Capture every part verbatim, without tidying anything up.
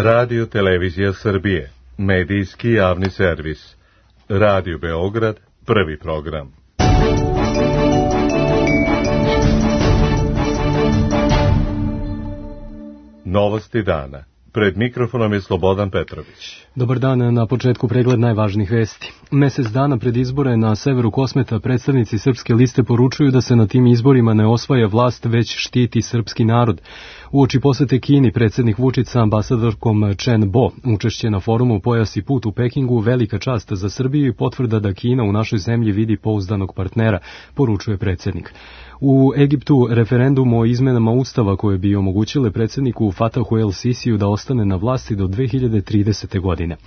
Radio Televizija Srbije, medijski javni servis. Radio Beograd, prvi program. Novosti dana. Pred mikrofonom je Slobodan Petrović. Dobar dan, na početku pregled najvažnijih vesti. Mesec dana pred izbore na severu Kosmeta predstavnici Srpske liste poručuju da se na tim izborima ne osvaja vlast, već štiti srpski narod. Uoči posete Kini, predsjednik Vučić sa ambasadorkom Chen Bo, učešće na forumu Pojas i put u Pekingu, velika čast za Srbiju i potvrda da Kina u našoj zemlji vidi pouzdanog partnera, poručuje predsjednik. U Egiptu referendum o izmenama ustava koje bi omogućile predsjedniku Fatahu El Sisiju da ostane na vlasti do dve hiljade tridesete. godine.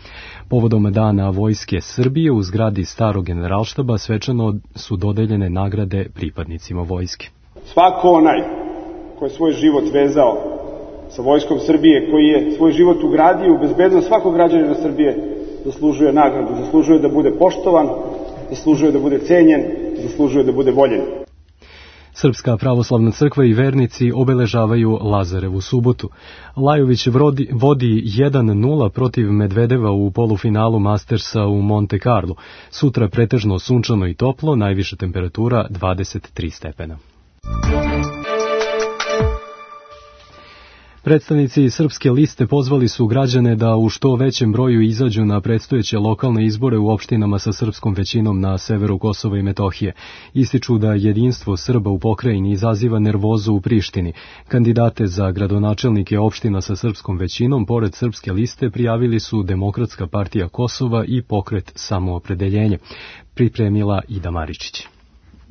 Povodom dana vojske Srbije u zgradi starog generalštaba svečano su dodeljene nagrade pripadnicima vojske. Svako onaj ko je svoj život vezao sa vojskom Srbije, koji je svoj život ugradio u bezbednost svakog građanina Srbije, zaslužuje nagradu, zaslužuje da bude poštovan, zaslužuje da bude cenjen, zaslužuje da bude voljen. Srpska pravoslavna crkva i vernici obeležavaju Lazarevu subotu. Lajović vodi, vodi jedan nula protiv Medvedeva u polufinalu Mastersa u Monte Carlo. Sutra pretežno sunčano i toplo, najviša temperatura dvadeset tri stepena. Predstavnici Srpske liste pozvali su građane da u što većem broju izađu na predstojeće lokalne izbore u opštinama sa srpskom većinom na severu Kosova i Metohije. Ističu da jedinstvo Srba u pokrajini izaziva nervozu u Prištini. Kandidate za gradonačelnike opština sa srpskom većinom, pored Srpske liste, prijavili su Demokratska partija Kosova i Pokret Samoopredeljenje. Pripremila Ida Maričić.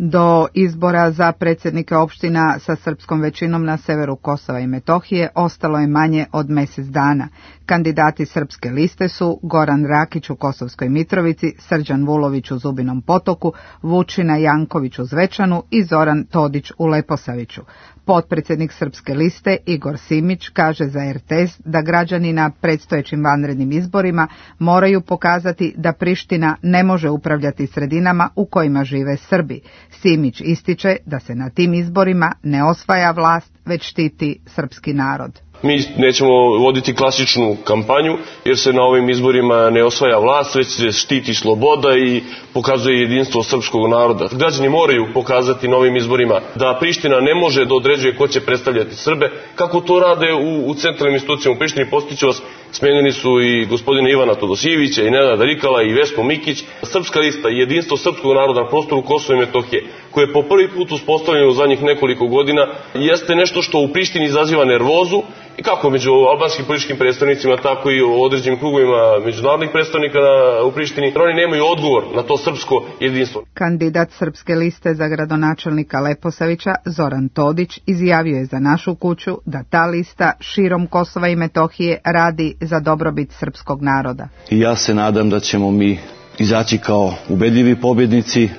Do izbora za predsjednike opština sa srpskom većinom na severu Kosova i Metohije ostalo je manje od mjesec dana. Kandidati Srpske liste su Goran Rakić u Kosovskoj Mitrovici, Srđan Vulović u Zubinom Potoku, Vučina Janković u Zvečanu i Zoran Todić u Leposaviću. Potpredsjednik Srpske liste Igor Simić kaže za er te es da građani na predstojećim vanrednim izborima moraju pokazati da Priština ne može upravljati sredinama u kojima žive Srbi. Simić ističe da se na tim izborima ne osvaja vlast, već štiti srpski narod. Mi nećemo voditi klasičnu kampanju, jer se na ovim izborima ne osvaja vlast, već se štiti sloboda i pokazuje jedinstvo srpskog naroda. Građani moraju pokazati na ovim izborima da Priština ne može da određuje ko će predstavljati Srbe, kako to rade u, u centralnim institucijama u Prištini. Postiću vas, smenjeni su i gospodina Ivana Todosijevića, i Nenada Rikala, i Vespo Mikić. Srpska lista, jedinstvo srpskog naroda na prostoru Kosova i Metohije, koje je po prvi put uspostavljeno u zadnjih nekoliko godina, jeste nešto što u Prištini izaziva nervozu, i kako među albanskim političkim predstavnicima, tako i u određenim krugovima međunarodnih predstavnika u Prištini. Oni nemaju odgovor na to srpsko jedinstvo. Kandidat Srpske liste za gradonačelnika Leposavića, Zoran Todić, izjavio je za Našu kuću da ta lista širom Kosova i Metohije radi za dobrobit srpskog naroda. I ja se nadam da ćemo mi izaći kao ubedljivi pobjednici.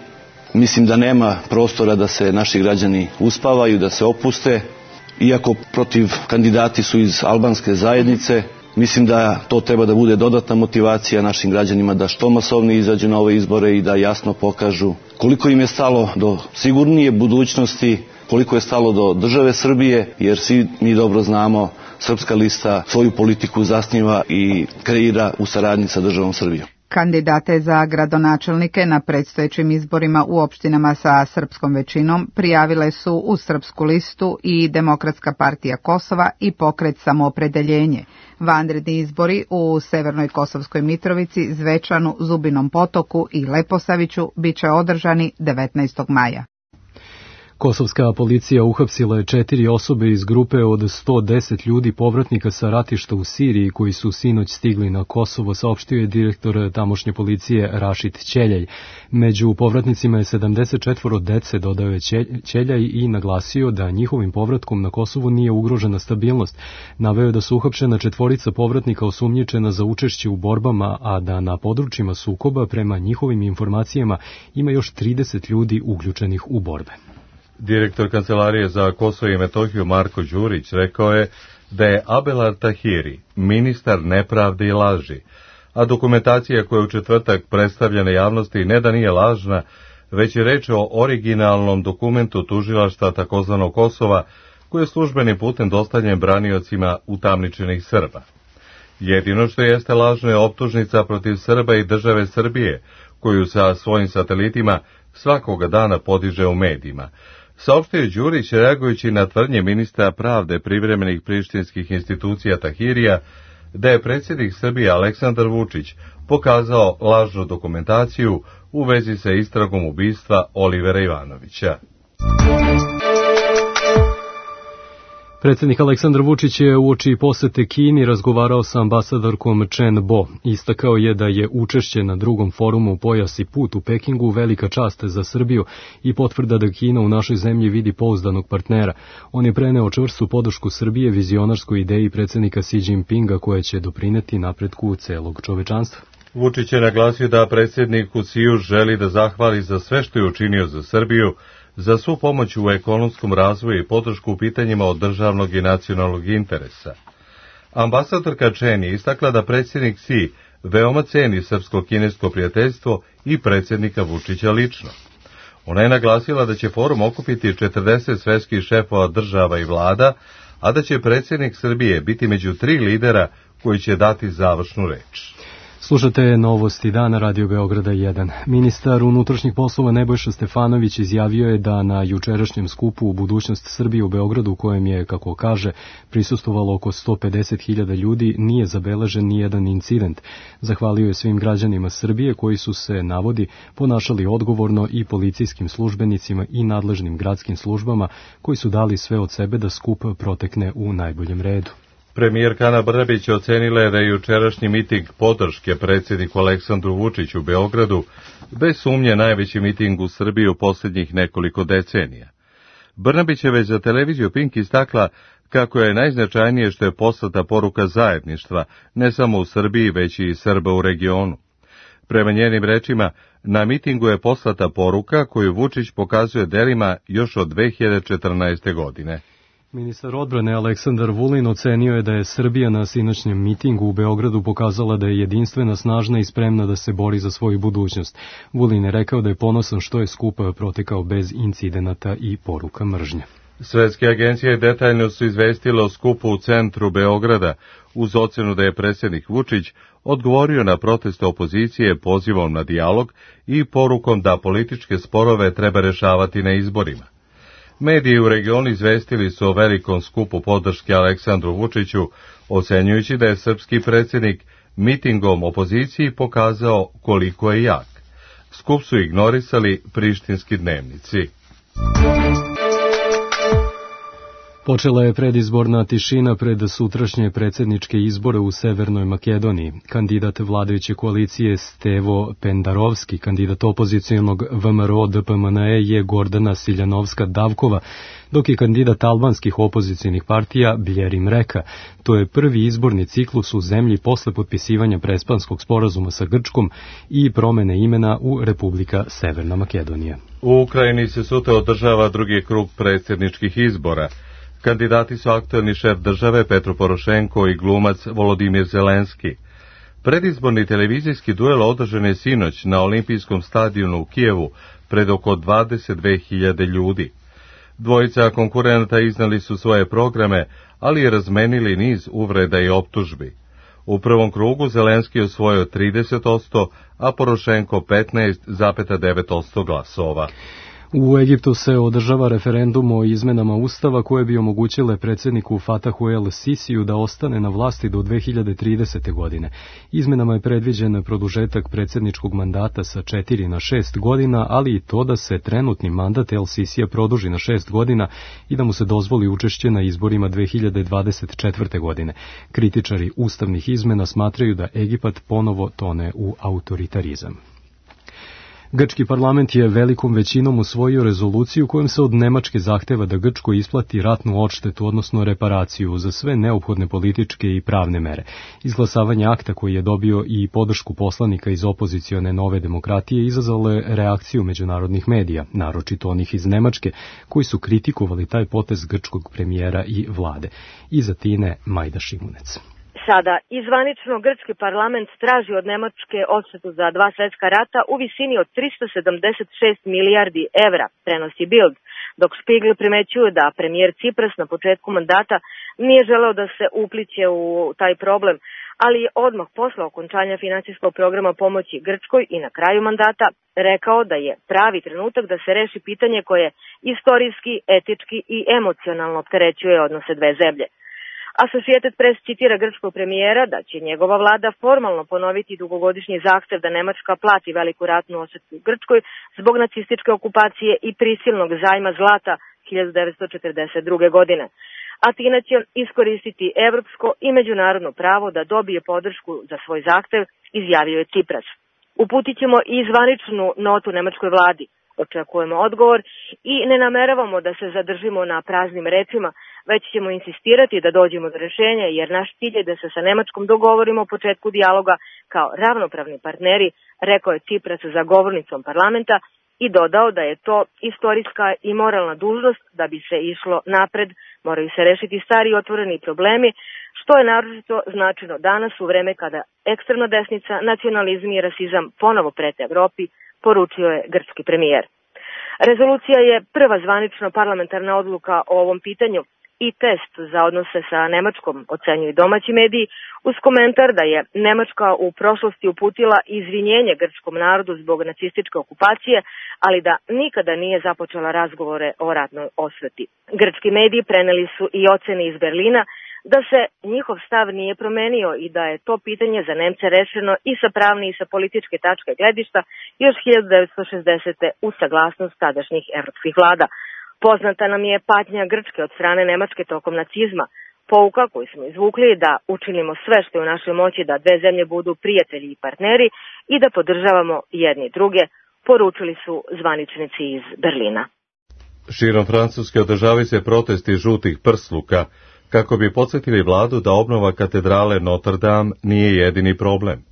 Mislim da nema prostora da se naši građani uspavaju, da se opuste. Iako protiv kandidati su iz albanske zajednice, mislim da to treba da bude dodatna motivacija našim građanima da što masovnije izađu na ove izbore i da jasno pokažu koliko im je stalo do sigurnije budućnosti, koliko je stalo do države Srbije, jer svi mi dobro znamo, Srpska lista svoju politiku zasniva i kreira u saradnji sa državom Srbijom. Kandidate za gradonačelnike na predstojećim izborima u opštinama sa srpskom većinom prijavile su u Srpsku listu i Demokratska partija Kosova i Pokret Samoopredeljenje. Vanredni izbori u Severnoj Kosovskoj Mitrovici, Zvečanu, Zubinom Potoku i Leposaviću bit će održani devetnaestog maja. Kosovska policija uhapsila je četiri osobe iz grupe od sto deset ljudi povratnika sa ratišta u Siriji koji su sinoć stigli na Kosovo, saopštio je direktor tamošnje policije Rašid Ćeljaj. Među povratnicima je sedamdeset četvoro dece, dodao je Ćeljaj i naglasio da njihovim povratkom na Kosovo nije ugrožena stabilnost. Naveo je da su uhapšena četvorica povratnika osumnjičena za učešće u borbama, a da na područjima sukoba prema njihovim informacijama ima još trideset ljudi uključenih u borbe. Direktor Kancelarije za Kosovo i Metohiju Marko Đurić rekao je da je Abelar Tahiri ministar nepravde i laži, a dokumentacija koja je u četvrtak predstavljena javnosti ne da nije lažna, već je reč o originalnom dokumentu tužilaštva takozvanog Kosova, koji je službenim putem dostavljen braniocima utamničenih Srba. Jedino što jeste lažno je optužnica protiv Srba i države Srbije, koju sa svojim satelitima svakoga dana podiže u medijima. Saopštio je Đurić reagujući na tvrdnje ministra pravde privremenih prištinskih institucija Tahirija da je predsjednik Srbije Aleksandar Vučić pokazao lažnu dokumentaciju u vezi sa istragom ubistva Olivera Ivanovića. Predsjednik Aleksandar Vučić je uoči posete Kini razgovarao sa ambasadorkom Chen Bo. Istakao je da je učešće na drugom forumu Pojas i put u Pekingu velika čast za Srbiju i potvrda da Kina u našoj zemlji vidi pouzdanog partnera. On je preneo čvrstu podršku Srbije vizionarskoj ideji predsjednika Xi Jinpinga koja će doprineti napretku celog čovečanstva. Vučić je naglasio da predsjednik u Xiju želi da zahvali za sve što je učinio za Srbiju, za svu pomoć u ekonomskom razvoju i podršku u pitanjima od državnog i nacionalnog interesa. Ambasadorka Chen je istakla da predsjednik Xi veoma ceni srpsko-kinesko prijateljstvo i predsjednika Vučića lično. Ona je naglasila da će forum okupiti četrdeset svetskih šefova država i vlada, a da će predsjednik Srbije biti među tri lidera koji će dati završnu reč. Slušate novosti dana Radio Beograda jedan. Ministar unutrašnjih poslova Nebojša Stefanović izjavio je da na jučerašnjem skupu u budućnost Srbije u Beogradu, u kojem je, kako kaže, prisustvovalo oko sto pedeset hiljada ljudi, nije zabeležen nijedan incident. Zahvalio je svim građanima Srbije koji su se, navodi, ponašali odgovorno i policijskim službenicima i nadležnim gradskim službama koji su dali sve od sebe da skup protekne u najboljem redu. Premijerka Ana Brnabić ocenila je da je jučerašnji miting podrške predsjedniku Aleksandru Vučiću u Beogradu bez sumnje najveći miting u Srbiji u posljednjih nekoliko decenija. Brnabić je već za televiziju Pink istakla kako je najznačajnije što je poslata poruka zajedništva, ne samo u Srbiji, već i Srba u regionu. Prema njenim rečima, na mitingu je poslata poruka koju Vučić pokazuje delima još od dve hiljade četrnaeste. godine. Ministar odbrane Aleksandar Vulin ocenio je da je Srbija na sinoćnjem mitingu u Beogradu pokazala da je jedinstvena, snažna i spremna da se bori za svoju budućnost. Vulin je rekao da je ponosan što je skup protekao bez incidenata i poruka mržnje. Svetske agencije detaljno su izvestile o skupu u centru Beograda, uz ocenu da je predsjednik Vučić odgovorio na proteste opozicije pozivom na dijalog i porukom da političke sporove treba rešavati na izborima. Mediji u regionu izvestili su o velikom skupu podrške Aleksandru Vučiću, ocenjujući da je srpski predsjednik mitingom opoziciji pokazao koliko je jak. Skup su ignorisali prištinski dnevnici. Počela je predizborna tišina pred sutrašnje predsjedničke izbore u Severnoj Makedoniji. Kandidat vladajuće koalicije Stevo Pendarovski, kandidat opozicijonog V M R O D P M N E je Gordana Siljanovska-Davkova, dok je kandidat albanskih opozicijonih partija Bljerim Reka. To je prvi izborni ciklus u zemlji posle potpisivanja prespanskog sporazuma sa Grčkom i promene imena u Republika Severna Makedonija. U Ukrajini se sutra održava drugi krug predsjedničkih izbora. Kandidati su aktuelni šef države Petro Porošenko i glumac Volodimir Zelenski. Predizborni televizijski duel održan je sinoć na olimpijskom stadionu u Kijevu pred oko dvadeset dve hiljade ljudi. Dvojica konkurenata iznali su svoje programe, ali i razmenili niz uvreda i optužbi. U prvom krugu Zelenski je osvojio trideset posto, a Porošenko petnaest zarez devet posto glasova. U Egiptu se održava referendum o izmenama Ustava koje bi omogućile predsjedniku Fatahu el Sisiju da ostane na vlasti do dve hiljade tridesete. godine. Izmenama je predviđen produžetak predsjedničkog mandata sa četiri na šest godina, ali i to da se trenutni mandat el Sisija produži na šest godina i da mu se dozvoli učešće na izborima dve hiljade dvadeset četvrte. godine. Kritičari ustavnih izmena smatraju da Egipat ponovo tone u autoritarizam. Grčki parlament je velikom većinom usvojio rezoluciju kojom se od Nemačke zahteva da Grčkoj isplati ratnu odštetu, odnosno reparaciju, za sve neophodne političke i pravne mere. Izglasavanje akta koji je dobio i podršku poslanika iz opozicione Nove demokratije izazvalo je reakciju međunarodnih medija, naročito onih iz Nemačke, koji su kritikovali taj potez grčkog premijera i vlade. Iza Tine Majda Šimunec. Sada, izvanično grčki parlament traži od Nemačke odštetu za dva svjetska rata u visini od tristo sedamdeset šest milijardi evra, prenosi Bild, dok Spiegel primećuje da premijer Cipras na početku mandata nije želeo da se upliće u taj problem, ali je odmah posle okončanja finansijskog programa pomoći Grčkoj i na kraju mandata rekao da je pravi trenutak da se reši pitanje koje istorijski, etički i emocionalno opterećuje odnose dve zemlje. Associated Press citira grčkog premijera da će njegova vlada formalno ponoviti dugogodišnji zahtev da Nemačka plati veliku ratnu odštetu Grčkoj zbog nacističke okupacije i prisilnog zajma zlata hiljadu devetsto četrdeset druge. godine. Atina će iskoristiti evropsko i međunarodno pravo da dobije podršku za svoj zahtev, izjavio je Cipras. Uputit ćemo i zvaničnu notu nemačkoj vladi. Očekujemo odgovor i ne nameravamo da se zadržimo na praznim rečima, već ćemo insistirati da dođemo do rešenja, jer naš cilj je da se sa Nemačkom dogovorimo o početku dijaloga kao ravnopravni partneri, rekao je Cipras za govornicom parlamenta i dodao da je to istorijska i moralna dužnost da bi se išlo napred, moraju se rešiti stari otvoreni problemi, što je naročito značajno danas u vreme kada ekstremna desnica, nacionalizam i rasizam ponovo prete Evropi, poručio je grčki premijer. Rezolucija je prva zvanična parlamentarna odluka o ovom pitanju i test za odnose sa Nemačkom, ocenjuju domaći mediji, uz komentar da je Nemačka u prošlosti uputila izvinjenje grčkom narodu zbog nacističke okupacije, ali da nikada nije započela razgovore o ratnoj osveti. Grčki mediji preneli su i ocene iz Berlina da se njihov stav nije promenio i da je to pitanje za Nemce rešeno i sa pravne i sa političke tačke gledišta još hiljadu devetsto šezdesete. uz saglasnost tadašnjih evropskih vlada. Poznata nam je patnja Grčke od strane Nemačke tokom nacizma. Pouka koju smo izvukli je da učinimo sve što je u našoj moći da dve zemlje budu prijatelji i partneri i da podržavamo jedni druge, poručili su zvaničnici iz Berlina. Širom Francuske održavaju se protesti žutih prsluka kako bi podsjetili vladu da obnova katedrale Notre Dame nije jedini problem.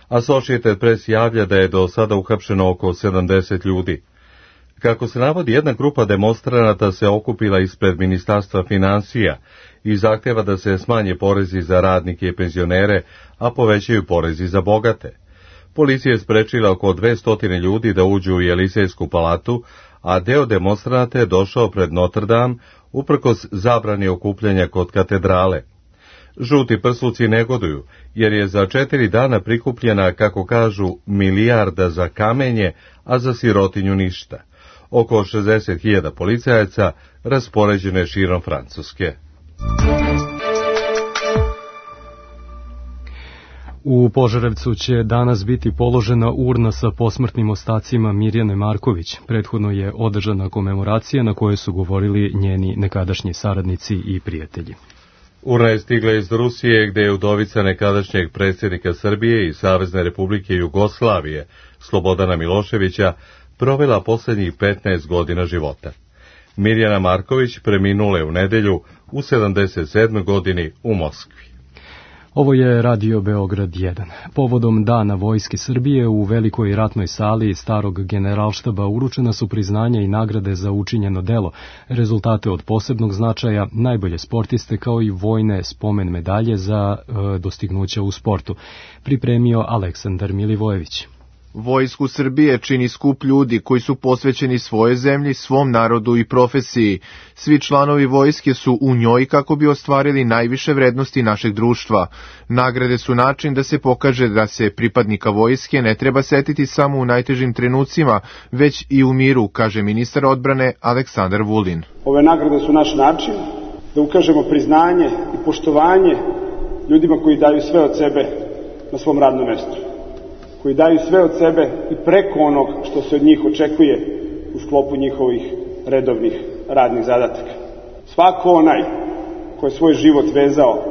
Associated Press javlja da je do sada uhapšeno oko sedamdeset ljudi. Kako se navodi, jedna grupa demonstranata se okupila ispred Ministarstva financija i zahtjeva da se smanje porezi za radnike i penzionere, a povećaju porezi za bogate. Policija je sprečila oko dvesta ljudi da uđu u Jelisejsku palatu, a deo demonstranata je došao pred Notre Dame uprkos zabrani okupljanja kod katedrale. Žuti prsluci negoduju, jer je za četiri dana prikupljena, kako kažu, milijarda za kamenje, a za sirotinju ništa. Oko šezdeset hiljada policajaca raspoređeno je širom Francuske. U Požarevcu će danas biti položena urna sa posmrtnim ostacima Mirjane Marković. Prethodno je održana komemoracija na kojoj su govorili njeni nekadašnji saradnici i prijatelji. Urna je stigla iz Rusije, gde je udovica nekadašnjeg predsjednika Srbije i Savezne Republike Jugoslavije, Slobodana Miloševića, provela posljednjih petnaest godina života. Mirjana Marković preminula je u nedelju u sedamdeset sedmoj godini u Moskvi. Ovo je Radio Beograd jedan. Povodom Dana Vojske Srbije u velikoj ratnoj sali starog generalštaba uručena su priznanja i nagrade za učinjeno delo, rezultate od posebnog značaja, najbolje sportiste kao i vojne spomen medalje za e, dostignuća u sportu. Pripremio Aleksandar Milivojević. Vojsku Srbije čini skup ljudi koji su posvećeni svojoj zemlji, svom narodu i profesiji. Svi članovi vojske su u njoj kako bi ostvarili najviše vrednosti našeg društva. Nagrade su način da se pokaže da se pripadnika vojske ne treba setiti samo u najtežim trenucima, već i u miru, kaže ministar odbrane Aleksandar Vulin. Ove nagrade su naš način da ukažemo priznanje i poštovanje ljudima koji daju sve od sebe na svom radnom mestu, koji daju sve od sebe i preko onog što se od njih očekuje u sklopu njihovih redovnih radnih zadataka. Svako onaj ko je svoj život vezao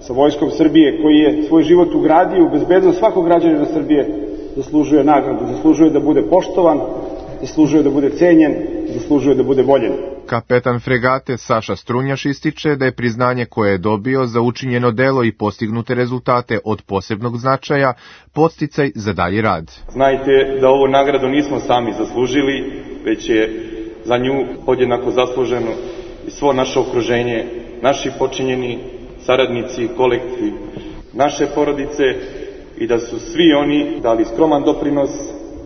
sa Vojskom Srbije, koji je svoj život ugradio u bezbednost svakog građanina Srbije, zaslužuje nagradu, zaslužuje da bude poštovan, zaslužuje da bude cenjen, zaslužuje da bude voljen. Kapetan fregate Saša Strunjaš ističe da je priznanje koje je dobio za učinjeno delo i postignute rezultate od posebnog značaja podsticaj za dalji rad. Znajte da ovu nagradu nismo sami zaslužili, već je za nju podjednako zasluženo i svo naše okruženje, naši počinjeni saradnici, kolektiv, naše porodice i da su svi oni dali skroman doprinos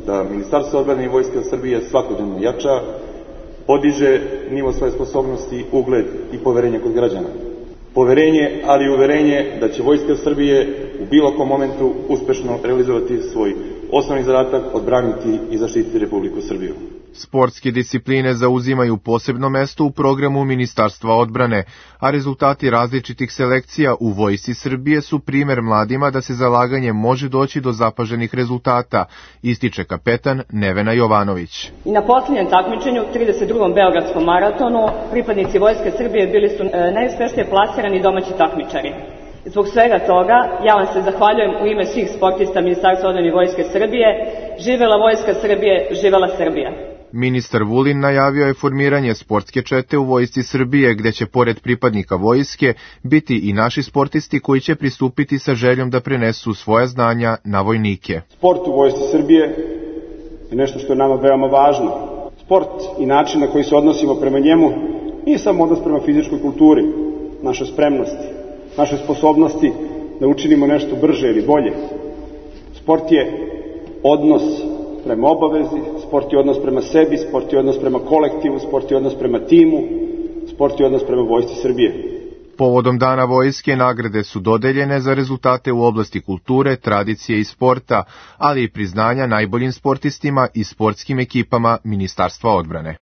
da Ministarstvo odbrane i Vojske Srbije svakodnevno jača, podiže nivo svoje sposobnosti, ugled i poverenje kod građana. Poverenje, ali i uverenje da će Vojska Srbije u bilo kom momentu uspešno realizovati svoj osnovni zadatak, odbraniti i zaštititi Republiku Srbiju. Sportske discipline zauzimaju posebno mesto u programu Ministarstva odbrane, a rezultati različitih selekcija u Vojsci Srbije su primer mladima da se zalaganjem može doći do zapaženih rezultata, ističe kapetan Nevena Jovanović. I na posljednjem takmičenju, trideset drugom Beogradskom maratonu, pripadnici Vojske Srbije bili su najuspešnije plasirani domaći takmičari. Zbog svega toga, ja vam se zahvaljujem u ime svih sportista Ministarstva odbrane i Vojske Srbije. Živela Vojska Srbije, živela Srbija. Ministar Vulin najavio je formiranje sportske čete u Vojsci Srbije, gde će pored pripadnika vojske biti i naši sportisti koji će pristupiti sa željom da prenesu svoja znanja na vojnike. Sport u Vojsci Srbije je nešto što je nama veoma važno. Sport i način na koji se odnosimo prema njemu nije samo odnos prema fizičkoj kulturi, našoj spremnosti, našoj sposobnosti da učinimo nešto brže ili bolje. Sport je odnos prema obavezi, sport je odnos prema sebi, sport je odnos prema kolektivu, sport je odnos prema timu, sport je odnos prema Vojsci Srbije. Povodom Dana vojske nagrade su dodeljene za rezultate u oblasti kulture, tradicije i sporta, ali i priznanja najboljim sportistima i sportskim ekipama Ministarstva odbrane.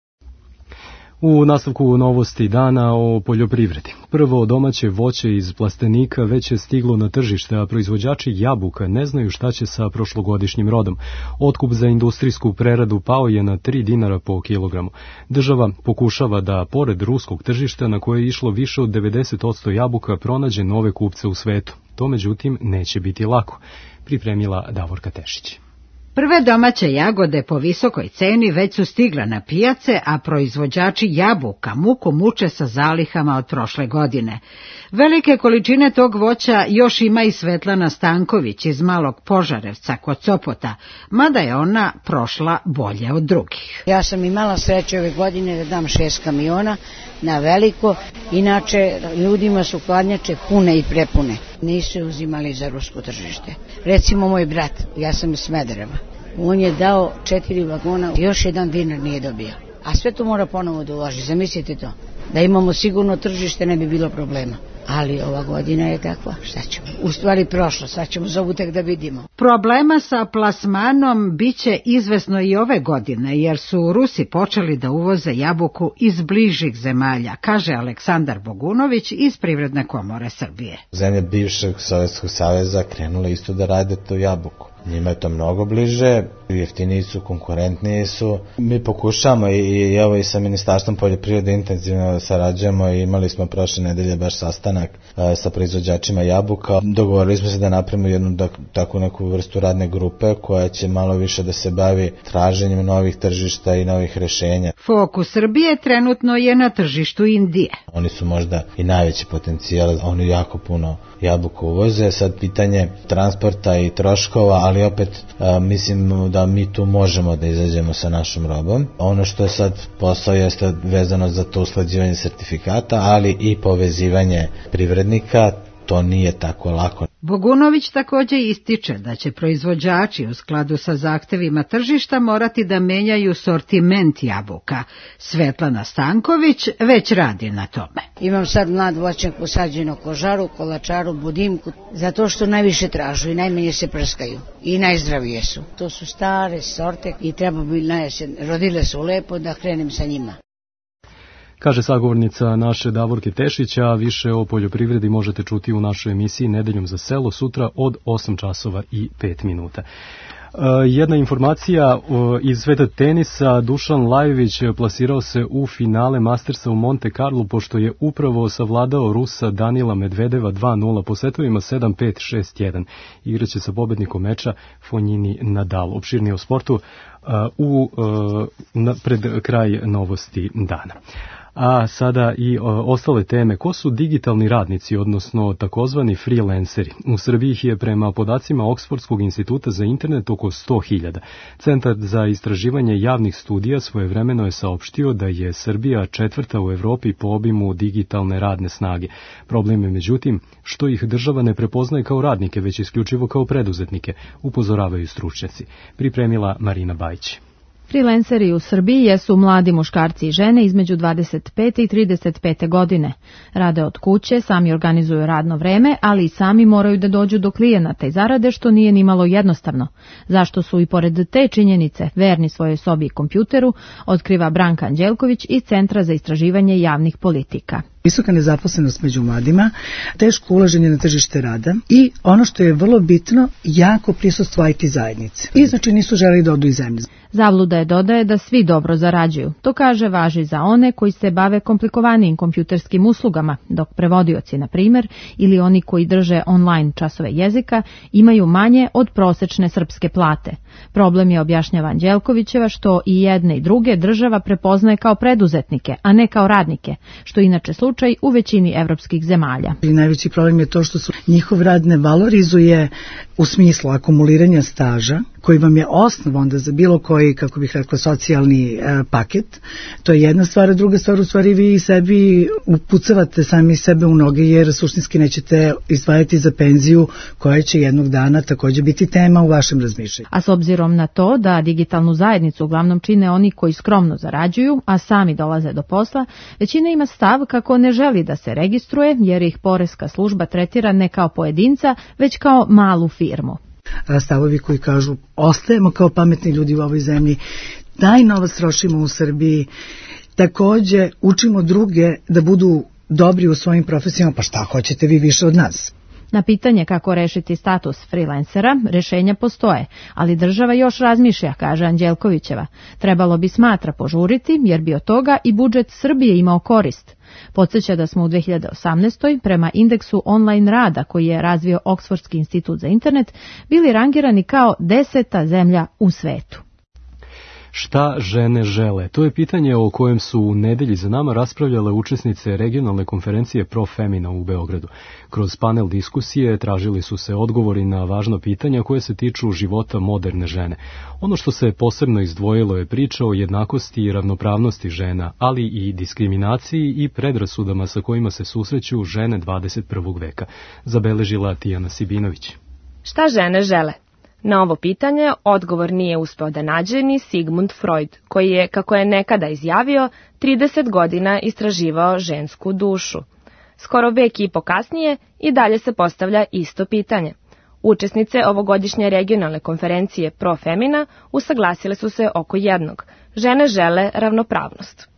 U nastavku novosti dana o poljoprivredi. Prvo domaće voće iz plastenika već je stiglo na tržište, a proizvođači jabuka ne znaju šta će sa prošlogodišnjim rodom. Otkup za industrijsku preradu pao je na tri dinara po kilogramu. Država pokušava da, pored ruskog tržišta na koje je išlo više od devedeset posto jabuka, pronađe nove kupce u svetu. To međutim neće biti lako, pripremila Davorka Tešić. Prve domaće jagode po visokoj ceni već su stigla na pijace, a proizvođači jabuka muku muče sa zalihama od prošle godine. Velike količine tog voća još ima i Svetlana Stanković iz Malog Požarevca kod Sopota, mada je ona prošla bolje od drugih. Ja sam imala sreće ove godine da dam šest kamiona na veliko, inače ljudima su hladnjače pune i prepune. Nisu uzimali za rusko tržište. Recimo moj brat, ja sam iz Smedereva, on je dao četiri vagona, još jedan dinar nije dobio. A sve to mora ponovo da uloži, zamislite to. Da imamo sigurno tržište ne bi bilo problema. Ali ova godina je takva, šta ćemo? U stvari prošlo, sad ćemo zovu tek da vidimo. Problema sa plasmanom biće izvesno i ove godine, jer su Rusi počeli da uvoze jabuku iz bližih zemalja, kaže Aleksandar Bogunović iz Privredne komore Srbije. Zemlje bivšeg Sovjetskog saveza krenule isto da rade tu jabuku. Njima je to mnogo bliže, jeftiniji su, konkurentniji su. Mi pokušamo i, i evo i sa Ministarstvom poljoprivrede intenzivno sarađujemo i imali smo prošle nedelje baš sastanak a, sa proizvođačima jabuka. Dogovorili smo se da napravimo jednu da, takvu neku vrstu radne grupe koja će malo više da se bavi traženjem novih tržišta i novih rešenja. Fokus Srbije trenutno je na tržištu Indije. Oni su možda i najveći potencijal, oni jako puno jabuku uvoze, sad pitanje transporta i troškova, ali opet a, mislim da mi tu možemo da izađemo sa našom robom. Ono što je sad posao jeste vezano za to usklađivanje sertifikata, ali i povezivanje privrednika, to nije tako lako. Bogunović također ističe da će proizvođači u skladu sa zahtevima tržišta morati da menjaju sortiment jabuka. Svetlana Stanković već radi na tome. Imam sad mlad voćnjak posađen u kožaru, kolačaru, budimku, zato što najviše tražu i najmanje se prskaju i najzdravije su. To su stare sorte i treba bi najesen. Rodile su lepo da krenem sa njima. Kaže sagovornica naše Davorke Tešića, a više o poljoprivredi možete čuti u našoj emisiji Nedeljom za selo sutra od osam časova i pet minuta. Jedna informacija iz sveta tenisa, Dušan Lajović plasirao se u finale Mastersa u Monte Carlo pošto je upravo savladao Rusa Danila Medvedeva dva nula po setovima sedam pet šest jedan. Igraće sa pobednikom meča Fonjini Nadal. Opširnije o sportu u, na, pred kraj novosti dana. A sada i o, ostale teme. Ko su digitalni radnici, odnosno takozvani freelanceri? U Srbiji ih je prema podacima Oksfordskog instituta za internet oko sto hiljada. Centar za istraživanje javnih studija svojevremeno je saopštio da je Srbija četvrta u Evropi po obimu digitalne radne snage. Problem je međutim što ih država ne prepoznaje kao radnike, već isključivo kao preduzetnike, upozoravaju stručnjaci. Pripremila Marina Bajić. Freelanceri u Srbiji jesu mladi muškarci i žene između dvadeset pete i trideset pete godine. Rade od kuće, sami organizuju radno vreme, ali i sami moraju da dođu do klijenata i zarade, što nije nimalo jednostavno. Zašto su i pored te činjenice verni svojoj sobi i kompjuteru, otkriva Branka Anđelković iz Centra za istraživanje javnih politika. Visoka nezaposlenost među mladima, teško ulaženje na tržište rada i ono što je vrlo bitno, jako prisustvo I T zajednice. I znači nisu želeli da odu iz zemlje. Zabluda je dodaje da svi dobro zarađuju. To kaže važi za one koji se bave komplikovanijim kompjuterskim uslugama, dok prevodioci, na primjer, ili oni koji drže online časove jezika, imaju manje od prosečne srpske plate. Problem je, objašnjava Anđelkovićeva, što i jedne i druge država prepoznaje kao preduzetnike, a ne kao radnike, što je inače slučaj u većini evropskih zemalja. I najveći problem je to što su njihov rad ne valorizuje u smislu akumuliranja staža, koji vam je osnov onda za bilo koji, kako bih rekla, socijalni e, paket. To je jedna stvar, a druga stvar, u stvari vi sebi upucavate sami sebe u noge, jer suštinski nećete izdvajati za penziju koja će jednog dana također biti tema u vašem razmišljanju. A s obzirom na to da digitalnu zajednicu uglavnom čine oni koji skromno zarađuju, a sami dolaze do posla, većina ima stav kako ne želi da se registruje, jer ih poreska služba tretira ne kao pojedinca, već kao malu firmu. Stavovi koji kažu ostajemo kao pametni ljudi u ovoj zemlji, taj novac trošimo u Srbiji, također učimo druge da budu dobri u svojim profesijama, pa šta hoćete vi više od nas? Na pitanje kako rešiti status freelancera, rešenja postoje, ali država još razmišlja, kaže Anđelkovićeva. Trebalo bi, smatra, požuriti, jer bi od toga i budžet Srbije imao korist. Podsjeća da smo u dve hiljade osamnaestoj prema indeksu online rada koji je razvio Oksfordski institut za internet bili rangirani kao deseta zemlja u svetu. Šta žene žele? To je pitanje o kojem su u nedelji za nama raspravljale učesnice regionalne konferencije Profemina u Beogradu. Kroz panel diskusije tražili su se odgovori na važna pitanja koje se tiču života moderne žene. Ono što se posebno izdvojilo je priča o jednakosti i ravnopravnosti žena, ali i diskriminaciji i predrasudama sa kojima se susreću žene dvadeset prvog veka, zabeležila Tijana Sibinović. Šta žene žele? Na ovo pitanje odgovor nije uspeo da nađe ni Sigmund Freud, koji je, kako je nekada izjavio, trideset godina istraživao žensku dušu. Skoro vek i po kasnije i dalje se postavlja isto pitanje. Učesnice ovogodišnje regionalne konferencije Profemina usaglasile su se oko jednog. Žene žele ravnopravnost.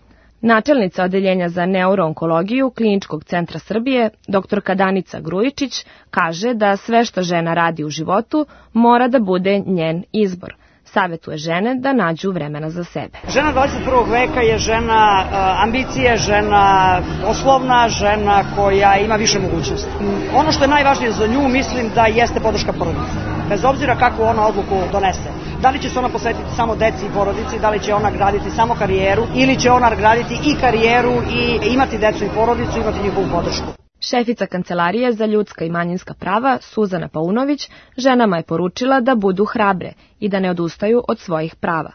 Načelnica odeljenja za neuroonkologiju Kliničkog centra Srbije, doktorka Danica Grujičić, kaže da sve što žena radi u životu mora da bude njen izbor. Savetuje žene da nađu vremena za sebe. Žena dvadeset prvog veka je žena ambicije, žena poslovna, žena koja ima više mogućnosti. Ono što je najvažnije za nju, mislim da jeste podrška porodice. Bez obzira kakvu ona odluku donese. Da li će se ona posvetiti samo deci i porodici, da li će ona graditi samo karijeru ili će ona graditi i karijeru i imati decu i porodicu, imati njihovu podršku. Šefica Kancelarije za ljudska i manjinska prava, Suzana Paunović, ženama je poručila da budu hrabre i da ne odustaju od svojih prava.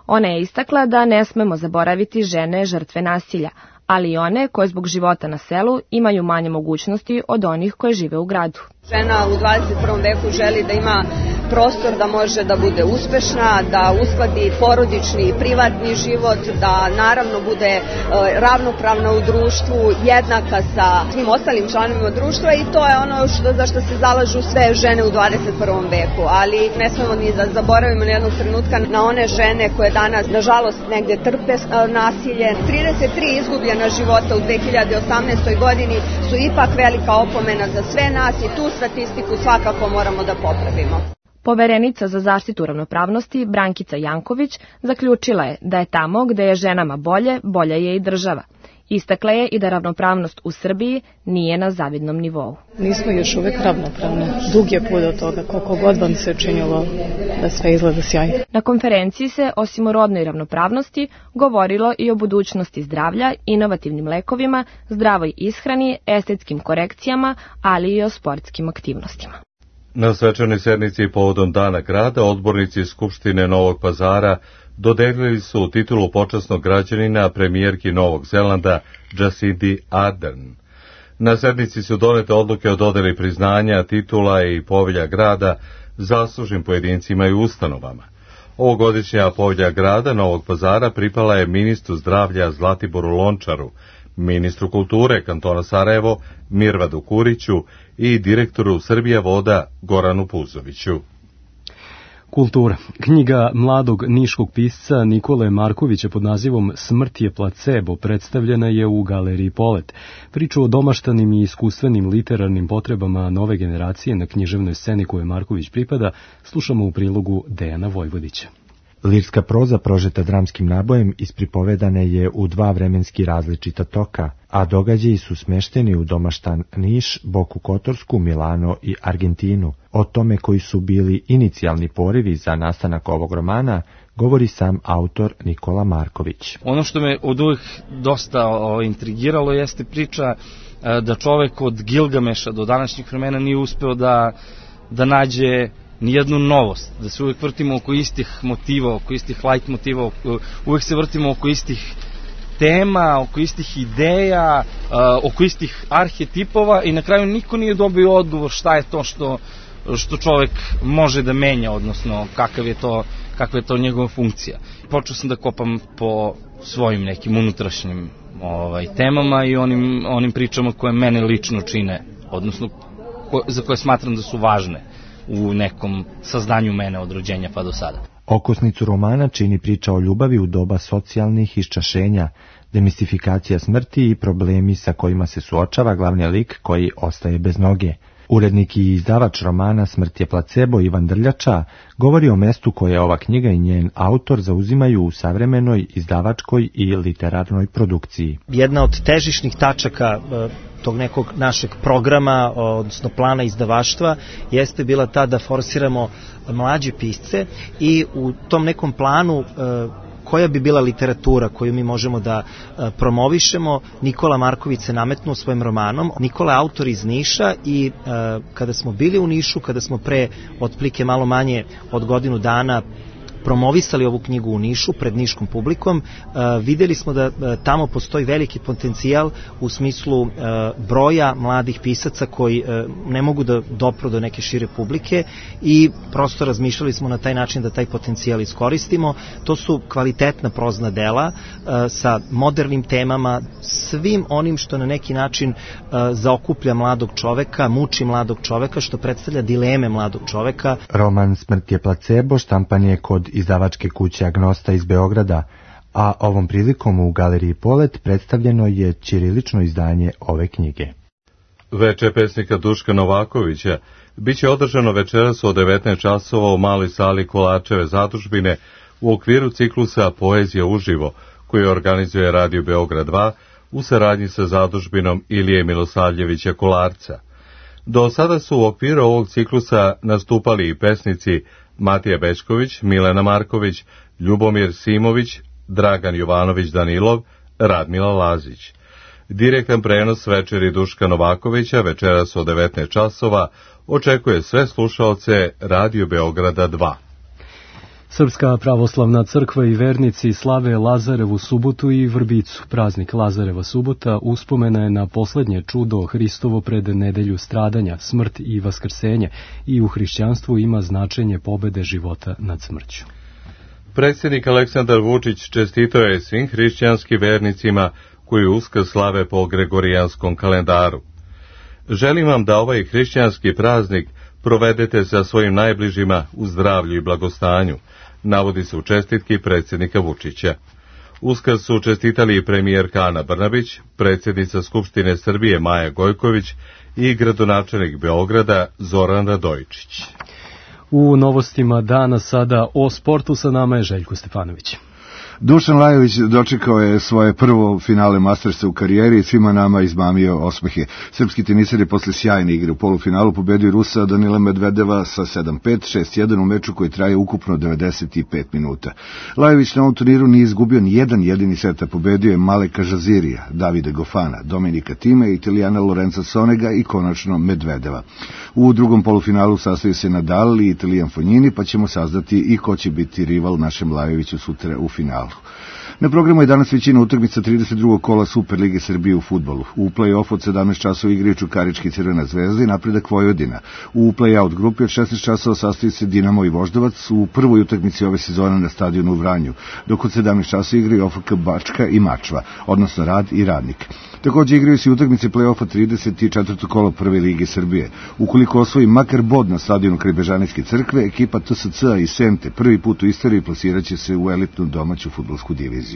Ona je istakla da ne smemo zaboraviti žene žrtve nasilja, ali i one koje zbog života na selu imaju manje mogućnosti od onih koje žive u gradu. Žena u dvadeset prvom veku želi da ima prostor da može da bude uspešna, da uskladi porodični i privatni život, da naravno bude e, ravnopravna u društvu, jednaka sa svim ostalim članovima društva i to je ono što, za što se zalažu sve žene u dvadeset prvom veku. Ali ne smemo ni da zaboravimo na jednog trenutka na one žene koje danas nažalost negdje trpe e, nasilje. trideset tri izgubljena života u dve hiljade osamnaestoj godini su ipak velika opomena za sve nas i tu statistiku svakako moramo da popravimo. Poverenica za zaštitu ravnopravnosti Brankica Janković zaključila je da je tamo gde je ženama bolje, bolja je i država. Istakla je i da ravnopravnost u Srbiji nije na zavidnom nivou. Nismo još uvek ravnopravne. Dug je put od toga, koliko god vam se činilo da sve izgleda sjajno. Na konferenciji se, osim o rodnoj ravnopravnosti, govorilo i o budućnosti zdravlja, inovativnim lekovima, zdravoj ishrani, estetskim korekcijama, ali i o sportskim aktivnostima. Na svečanoj sednici povodom Dana grada odbornici Skupštine Novog Pazara dodelili su titulu počasnog građanina premijerki Novog Zelanda Jacindi Ardern. Na sednici su donete odluke o dodeli priznanja, titula i povelja grada zaslužnim pojedincima i ustanovama. Ovogodišnja povelja grada Novog Pazara pripala je ministru zdravlja Zlatiboru Lončaru, ministru kulture kantona Sarajevo Mirvadu Kuriću i direktoru Srbija voda Goranu Puzoviću. Kultura. Knjiga mladog niškog pisca Nikole Markovića pod nazivom Smrt je placebo predstavljena je u Galeriji Polet. Priču o domaštanim i iskustvenim literarnim potrebama nove generacije na književnoj sceni koje Marković pripada slušamo u prilogu Dejana Vojvodića. Lirska proza prožeta dramskim nabojem ispripovedane je u dva vremenski različita toka, a događaji su smešteni u domaštan Niš, Boku Kotorsku, Milano i Argentinu. O tome koji su bili inicijalni porivi za nastanak ovog romana govori sam autor Nikola Marković. Ono što me od uvijek dosta o, intrigiralo jeste priča e, da čovek od Gilgameša do današnjih vremena nije uspeo da, da nađe nijednu novost, da se uvijek vrtimo oko istih motiva, oko istih light motiva, uvijek se vrtimo oko istih tema, oko istih ideja, oko istih arhetipova i na kraju niko nije dobio odgovor šta je to što, što čovjek može da menja, odnosno kakav je to, kakva je to njegova funkcija. Počeo sam da kopam po svojim nekim unutrašnjim ovaj, temama i onim, onim pričama koje mene lično čine, odnosno ko, za koje smatram da su važne u nekom saznanju mene od rođenja pa do sada. Okosnicu romana čini priča o ljubavi u doba socijalnih iščašenja, demistifikacija smrti i problemi sa kojima se suočava glavni lik koji ostaje bez noge. Urednik i izdavač romana Smrt je placebo Ivan Drljača govori o mestu koje ova knjiga i njen autor zauzimaju u savremenoj izdavačkoj i literarnoj produkciji. Jedna od težišnih tačaka tog nekog našeg programa, odnosno plana izdavaštva, jeste bila ta da forsiramo mlađe pisce i u tom nekom planu koja bi bila literatura koju mi možemo da promovišemo, Nikola Marković se nametnuo svojim romanom. Nikola je autor iz Niša i kada smo bili u Nišu, kada smo pre otprilike malo manje od godinu dana promovisali ovu knjigu u Nišu pred niškom publikom, videli smo da tamo postoji veliki potencijal u smislu broja mladih pisaca koji ne mogu da dopru do neke šire publike i prosto razmišljali smo na taj način da taj potencijal iskoristimo. To su kvalitetna prozna dela sa modernim temama, svim onim što na neki način zaokuplja mladog čoveka, muči mladog čoveka, što predstavlja dileme mladog čoveka. Roman Smrt je placebo štampan je kod izdavačke kuće Agnosta iz Beograda, a ovom prilikom u Galeriji Polet predstavljeno je ćirilično izdanje ove knjige. Veče pesnika Duška Novakovića biće održano večeras od devetnaest časova u maloj sali Kolačeve zadužbine u okviru ciklusa Poezija uživo, koji organizuje Radio Beograd dva u saradnji sa zadužbinom Ilije Milosavljevića Kolarca. Do sada su u okviru ovog ciklusa nastupali i pesnici Matija Bečković, Milena Marković, Ljubomir Simović, Dragan Jovanović Danilov, Radmila Lazić. Direktan prenos večeri Duška Novakovića večeras od devetnaest časova očekuje sve slušaoce Radio Beograda dva. Srpska pravoslavna crkva i vernici slave Lazarevu subotu i Vrbicu. Praznik Lazareva subota uspomena je na poslednje čudo Hristovo pred nedelju stradanja, smrt i vaskrsenje i u hrišćanstvu ima značenje pobede života nad smrću. Predsjednik Aleksandar Vučić čestitao je svim hrišćanskim vernicima koji Uskrs slave po Gregorijanskom kalendaru. Želim vam da ovaj hrišćanski praznik provedete sa svojim najbližima u zdravlju i blagostanju, navodi se u čestitki predsjednika Vučića. Uskrs su čestitali i premijerka Ana Brnabić, predsjednica Skupštine Srbije Maja Gojković i gradonačelnik Beograda Zoran Radojičić. U novostima dana sada o sportu sa nama je Željko Stefanović. Dušan Lajović dočekao je svoje prvo finale Mastersa u karijeri i svima nama izmamio osmehe. Srpski tenisar je posle sjajne igre u polufinalu pobedio Rusa Danila Medvedeva sa sedam pet, šest jedan u meču koji traje ukupno devedeset pet minuta. Lajović na ovom turniru nije izgubio ni jedan jedini set, a pobedio je Maleka Žazirija, Davide Gofana, Dominika Time, Italijana Lorenza Sonega i konačno Medvedeva. U drugom polufinalu sastoji se Nadal i Italijan Fognini, pa ćemo saznati i ko će biti rival našem Lajoviću sutra u finalu. Na programu je danas većina utakmica trideset drugog kola Super Lige Srbije u fudbalu. U play-off od sedamnaest časova igraju Čukarički Crvena zvezda i Napredak Vojvodina. U play-out grupi od šesnaest časova sastoji se Dinamo i Voždovac u prvoj utakmici ove sezone na stadionu u Vranju, dok od sedamnaest časova igraju O F K Bačka i Mačva, odnosno Rad i Radnik. Također igraju se utakmice play-offa trideset četvrtog kola Prve Lige Srbije. Ukoliko osvoji makar bod na stadionu kraj Bežanijske crkve, ekipa T S C-a i Sente prvi put u istoriji plasiraće se u elitnu domaću fudbalsku diviziju.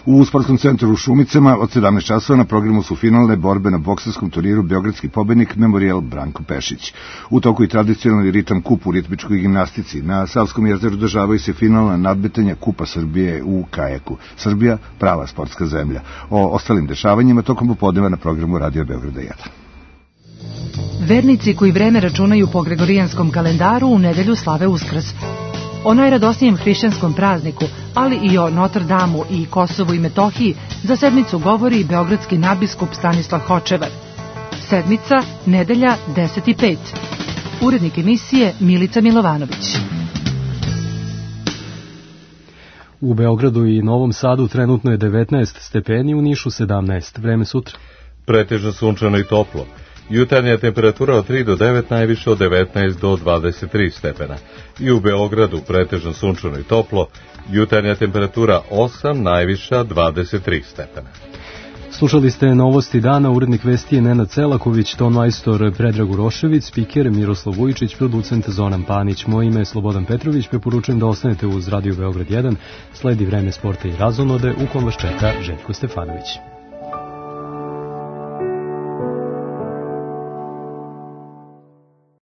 U sportskom centru u Šumicama od sedamnaest časova na programu su finalne borbe na bokserskom turniru Beogradski pobednik Memorijal Branko Pešić. U toku i tradicionalni ritam kup u ritmičkoj gimnastici. Na Savskom jezeru održavaju se finalna nadmetanja Kupa Srbije u kajaku. Srbija, prava sportska zemlja. O ostalim dešavanjima tokom popodneva na programu Radio Beograda jedan. Vernici koji vreme računaju po gregorijanskom kalendaru u nedelju slave Uskrs. O najradosnijem hrišćanskom prazniku, ali i o Notre Damu i Kosovu i Metohiji za sedmicu govori beogradski nadbiskup Stanislav Hočevar. Sedmica, nedelja, deset i pet. Urednik emisije Milica Milovanović. U Beogradu i Novom Sadu trenutno je devetnaest stepeni, u Nišu sedamnaest. Vreme sutra. Pretežno sunčano i toplo. Jutarnja temperatura od tri do devet, najviše od devetnaest do dvadeset tri stepena. I u Beogradu pretežno sunčano i toplo, jutarnja temperatura osam, najviša dvadeset tri stepena. Slušali ste novosti dana, urednik vesti je Nenad Celaković, ton majstor Predrag Urošević, spiker Miroslav Vujičić, producent Zoran Panić. Moje ime je Slobodan Petrović, preporučujem da ostanete uz Radio Beograd jedan, sledi vreme sporta i razonode u kom vas čeka Željko Stefanović.